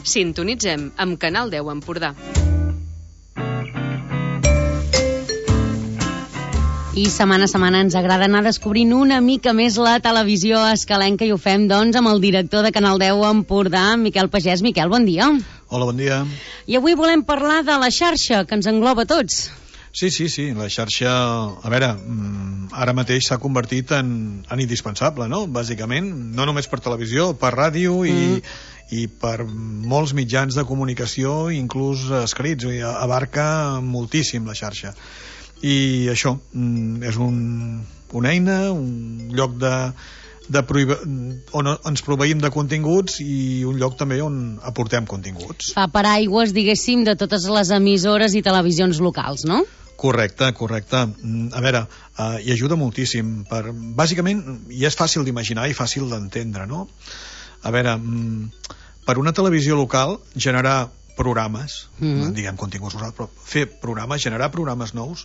Sintonitzem amb Canal 10 Empordà. I setmana a setmana ens agrada anar descobrint una mica més la televisió escalenca i ho fem, doncs, amb el director de Canal 10 Empordà, Miquel Pagès. Miquel, bon dia. Hola, bon dia. I avui volem parlar de la xarxa, que ens engloba a tots. Sí, la xarxa, a veure, ara mateix s'ha convertit en indispensable, no? Bàsicament, no només per televisió, per ràdio i per molts mitjans de comunicació, inclús escrits, abarca moltíssim la xarxa. I això és una eina, un lloc on ens proveïm de continguts i un lloc també on aportem continguts. Fa paraigües, diguéssim, de totes les emissores i televisions locals, no? Correcte. A veure, hi ajuda moltíssim. Bàsicament, i és fàcil d'imaginar i fàcil d'entendre, no? A veure, per una televisió local, generar programes, diguem continguts locals, però fer programes, generar programes nous,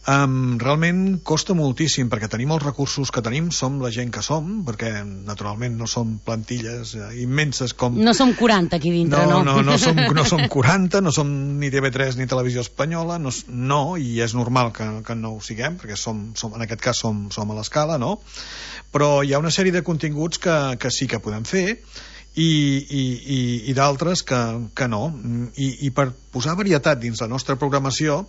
realment costa moltíssim, perquè tenim els recursos que tenim, som la gent que som, perquè naturalment no som plantilles immenses com... No som 40 aquí dintre, no? No som 40, no som ni TV3 ni Televisió Espanyola, no, i és normal que no ho siguem, perquè en aquest cas som a l'escala, no? Però hi ha una sèrie de continguts que sí que podem fer, i d'altres que no. I per posar varietat dins la nostra programació,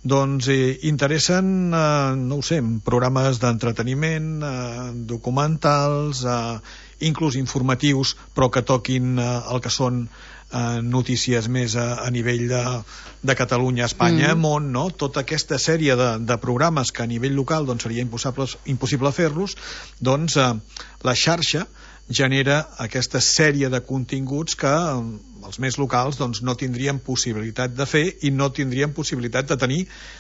doncs interessen, no ho sé, programes d'entreteniment, documentals, inclús informatius, però que toquin el que són notícies més a nivell de Catalunya, Espanya, món, no? Tota aquesta sèrie de programes que a nivell local doncs, seria impossible fer-los, doncs la xarxa genera aquesta sèrie de continguts que els més locals doncs, no tindrien possibilitat de fer i no tindrien possibilitat de tenir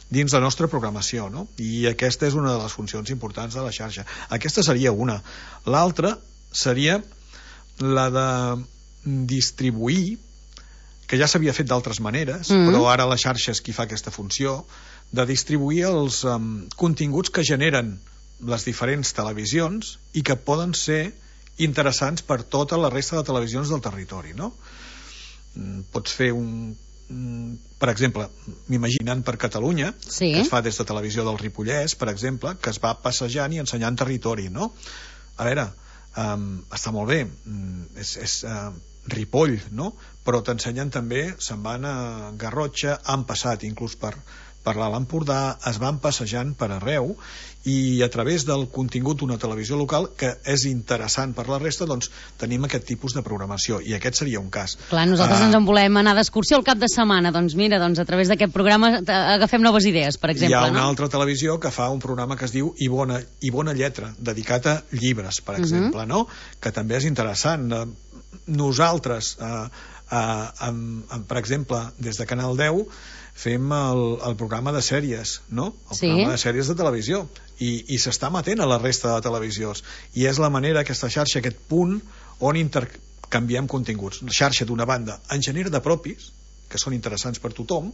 dins la nostra programació, no? I aquesta és una de les funcions importants de la xarxa. Aquesta seria una. L'altra seria la de distribuir, que ja s'havia fet d'altres maneres, però ara la xarxa és qui fa aquesta funció, de distribuir els continguts que generen les diferents televisions i que poden ser interessants per tota la resta de televisions del territori, no? Pots fer per exemple, m'imaginant per Catalunya, que es fa des de Televisió del Ripollès, per exemple, que es va passejant i ensenyant territori, no? A veure, està molt bé, és Ripoll, no? Però t'ensenyen també, se'n van a Garrotxa, han passat inclús per l'Alt Empordà, es van passejant per arreu, i a través del contingut d'una televisió local que és interessant per la resta, doncs tenim aquest tipus de programació, i aquest seria un cas. Clar, nosaltres ens en volem anar d'excursió al cap de setmana, doncs mira, a través d'aquest programa agafem noves idees, per exemple. Hi ha una altra televisió que fa un programa que es diu I bona lletra, dedicat a llibres, per exemple, no? Que també és interessant. Nosaltres, per exemple, des de Canal 10 fem el programa de sèries, no? El programa de sèries de televisió, i s'està emetent a la resta de televisions, i és la manera, aquesta xarxa, aquest punt on intercanviem continguts. La xarxa, d'una banda, en genera de propis, que són interessants per tothom,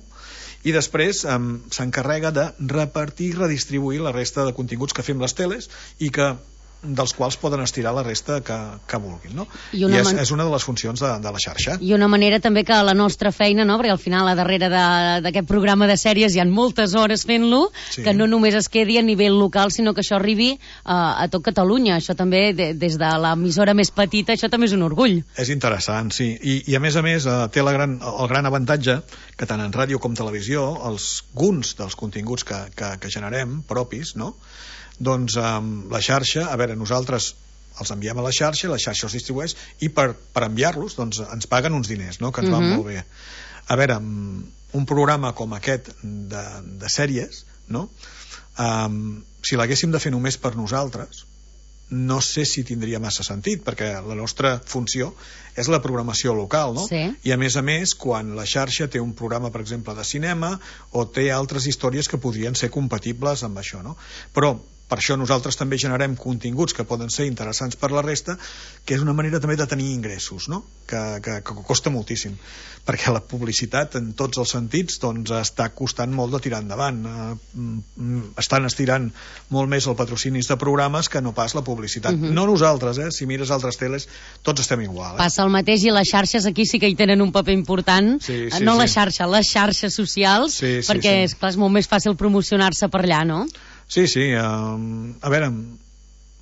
i després s'encarrega de repartir i redistribuir la resta de continguts que fem les teles i dels quals poden estirar la resta que vulguin, no? I és una de les funcions de la xarxa. I una manera també que la nostra feina, no? Perquè al final a darrere d'aquest programa de sèries hi ha moltes hores fent-lo, que no només es quedi a nivell local, sinó que això arribi a tot Catalunya. Això també, des de l'emissora més petita, això també és un orgull. És interessant, sí. I a més, té el gran avantatge que tant en ràdio com televisió, alguns dels continguts que generem propis, no? Doncs la xarxa, a veure, nosaltres els enviem a la xarxa els distribueix, i per enviar-los doncs ens paguen uns diners, no? Que ens van molt bé. A veure, un programa com aquest de sèries, no? Si l'haguéssim de fer només per nosaltres, no sé si tindria massa sentit, perquè la nostra funció és la programació local, no? I a més, quan la xarxa té un programa, per exemple, de cinema, o té altres històries que podrien ser compatibles amb això, no? Però Per això nosaltres també generem continguts que poden ser interessants per la resta, que és una manera també de tenir ingressos, no? Que costa moltíssim, perquè la publicitat en tots els sentits doncs està costant molt de tirar endavant. Estan estirant molt més el patrocinis de programes que no pas la publicitat. No nosaltres, si mires altres teles tots estem igual. Passa el mateix, i les xarxes aquí sí que hi tenen un paper important. No la xarxa, les xarxes socials, perquè és clar, és molt més fàcil promocionar-se per allà, no? Sí, a veure,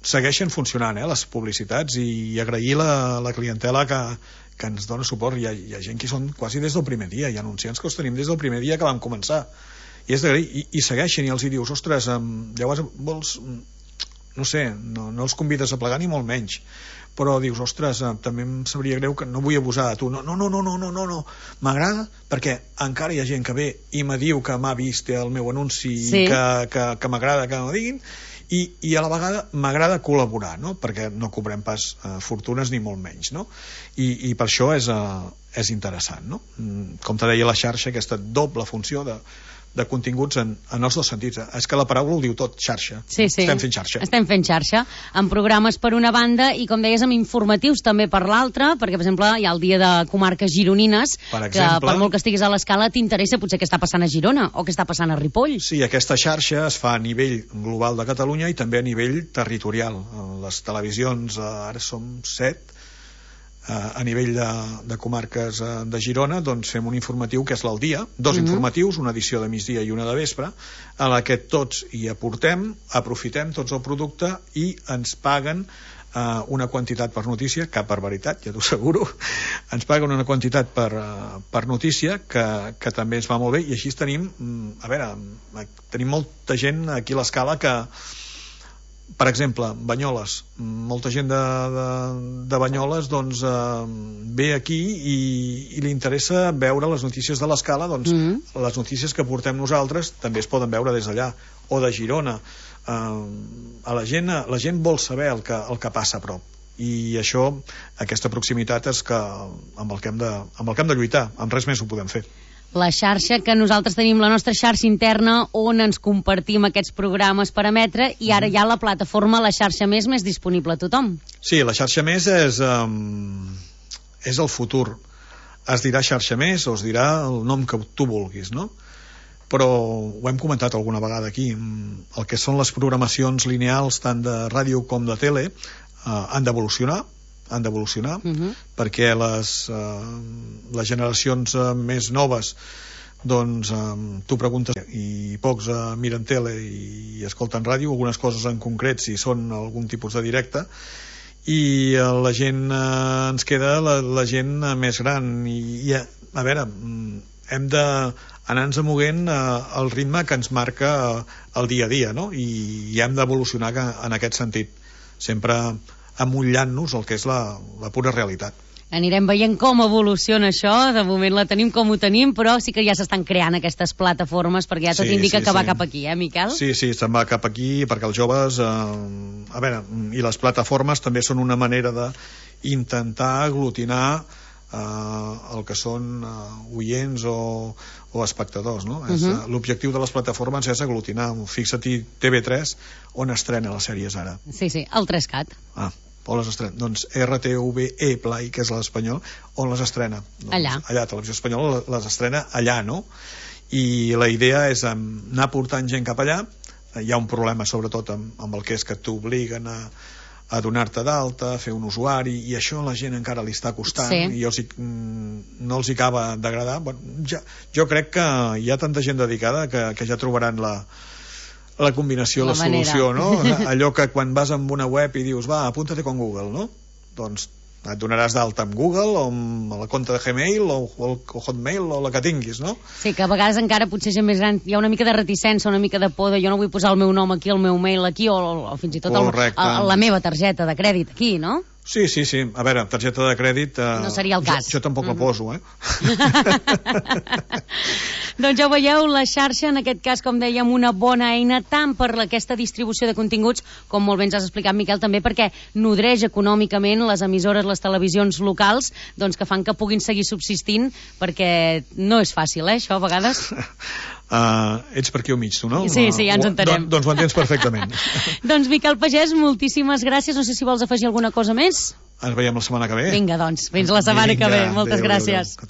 segueixen funcionant les publicitats, i agrair la clientela que ens dona suport. Hi ha gent que són quasi des del primer dia, hi ha anunciants que els tenim des del primer dia que vam començar, i és d'agrair, i segueixen, i els hi dius, ostres, llavors vols, no sé, no els convides a plegar ni molt menys, però dius, ostres, també em sabria greu, que no vull abusar de tu, no, m'agrada, perquè encara hi ha gent que ve i me diu que m'ha vist el meu anunci, que m'agrada que m'ho diguin, i a la vegada m'agrada col·laborar, no? Perquè no cobrem pas fortunes ni molt menys, no? I per això és interessant, no? Com te deia, la xarxa, aquesta doble funció de continguts en els dos sentits. És que la paraula ho diu tot, xarxa. Estem fent xarxa. Estem fent xarxa, amb programes per una banda i, com deies, amb informatius també per l'altra, perquè, per exemple, hi ha el dia de comarques gironines, que per molt que estiguis a l'escala t'interessa potser què està passant a Girona o què està passant a Ripoll. Sí, aquesta xarxa es fa a nivell global de Catalunya i també a nivell territorial. Les televisions, ara som 7, a nivell de comarques de Girona, doncs fem un informatiu que és l'Al Dia, dos informatius, una edició de migdia i una de vespre, a la que tots hi aportem, aprofitem tots el producte i ens paguen una quantitat per notícia, cap barbaritat, ja t'ho asseguro, ens paguen una quantitat per notícia que també ens va molt bé, i així tenim, tenim molta gent aquí a l'escala que, per exemple, Banyoles, molta gent de Banyoles doncs ve aquí i li interessa veure les notícies de l'escala, doncs les notícies que portem nosaltres també es poden veure des d'allà, o de Girona. La gent vol saber el que passa a prop, i això, aquesta proximitat és amb el que hem de lluitar, amb res més ho podem fer. La xarxa, que nosaltres tenim la nostra xarxa interna on ens compartim aquests programes per emetre, i ara hi ha la plataforma, la xarxa més disponible a tothom. Sí, la xarxa més és el futur. Es dirà xarxa més o es dirà el nom que tu vulguis, no? Però ho hem comentat alguna vegada aquí, el que són les programacions lineals tant de ràdio com de tele han d'evolucionar, perquè les generacions més noves doncs tu preguntes i pocs miren tele i escolten ràdio, algunes coses en concret si són algun tipus de directe, i la gent ens queda la gent més gran, i a veure, hem d'anar-nos moguent al ritme que ens marca el dia a dia, no? I hem d'evolucionar en aquest sentit, sempre amullant-nos el que és la pura realitat. Anirem veient com evoluciona això, de moment la tenim com ho tenim, però sí que ja s'estan creant aquestes plataformes, perquè ja tot indica que va cap aquí, Miquel? Sí, se'n va cap aquí, perquè els joves, i les plataformes també són una manera d'intentar aglutinar el que són oients o espectadors, no? L'objectiu de les plataformes és aglutinar. Fixa-t'hi TV3 on estrena les sèries ara. Sí, el 3CAT. On les estrena? Doncs RTVE Play, que és l'espanyol, on les estrena? Allà, Televisió Espanyola les estrena allà, no? I la idea és anar portant gent cap allà. Hi ha un problema sobretot amb el que és que t'obliguen a donar-te d'alta, a fer un usuari, i això a la gent encara li està costant, i no els acaba d'agradar. Jo crec que hi ha tanta gent dedicada que ja trobaran la combinació, la solució, no? Allò que quan vas amb una web i dius, apúntate con Google, no? Doncs et donaràs d'alta amb Google o amb la compte de Gmail o Hotmail o la que tinguis, no? Sí, que a vegades encara potser gent més gran hi ha una mica de reticència, una mica de por de jo no vull posar el meu nom aquí, el meu mail aquí, o fins i tot la meva targeta de crèdit aquí, no? Sí. A veure, targeta de crèdit... No seria el cas. Jo tampoc la poso, Doncs ja ho veieu, la xarxa, en aquest cas, com dèiem, una bona eina tant per aquesta distribució de continguts, com molt bé ens has explicat, Miquel, també perquè nodreix econòmicament les emissores, les televisions locals, doncs que fan que puguin seguir subsistint, perquè no és fàcil, això, a vegades. ets per aquí al mig, tu, no? Sí, ja ens entenem. Doncs ho entens perfectament. Doncs Miquel Pagès, moltíssimes gràcies. No sé si vols afegir alguna cosa més. Ens veiem la setmana que ve. Vinga, doncs, fins la setmana que ve. Moltes gràcies. Adéu.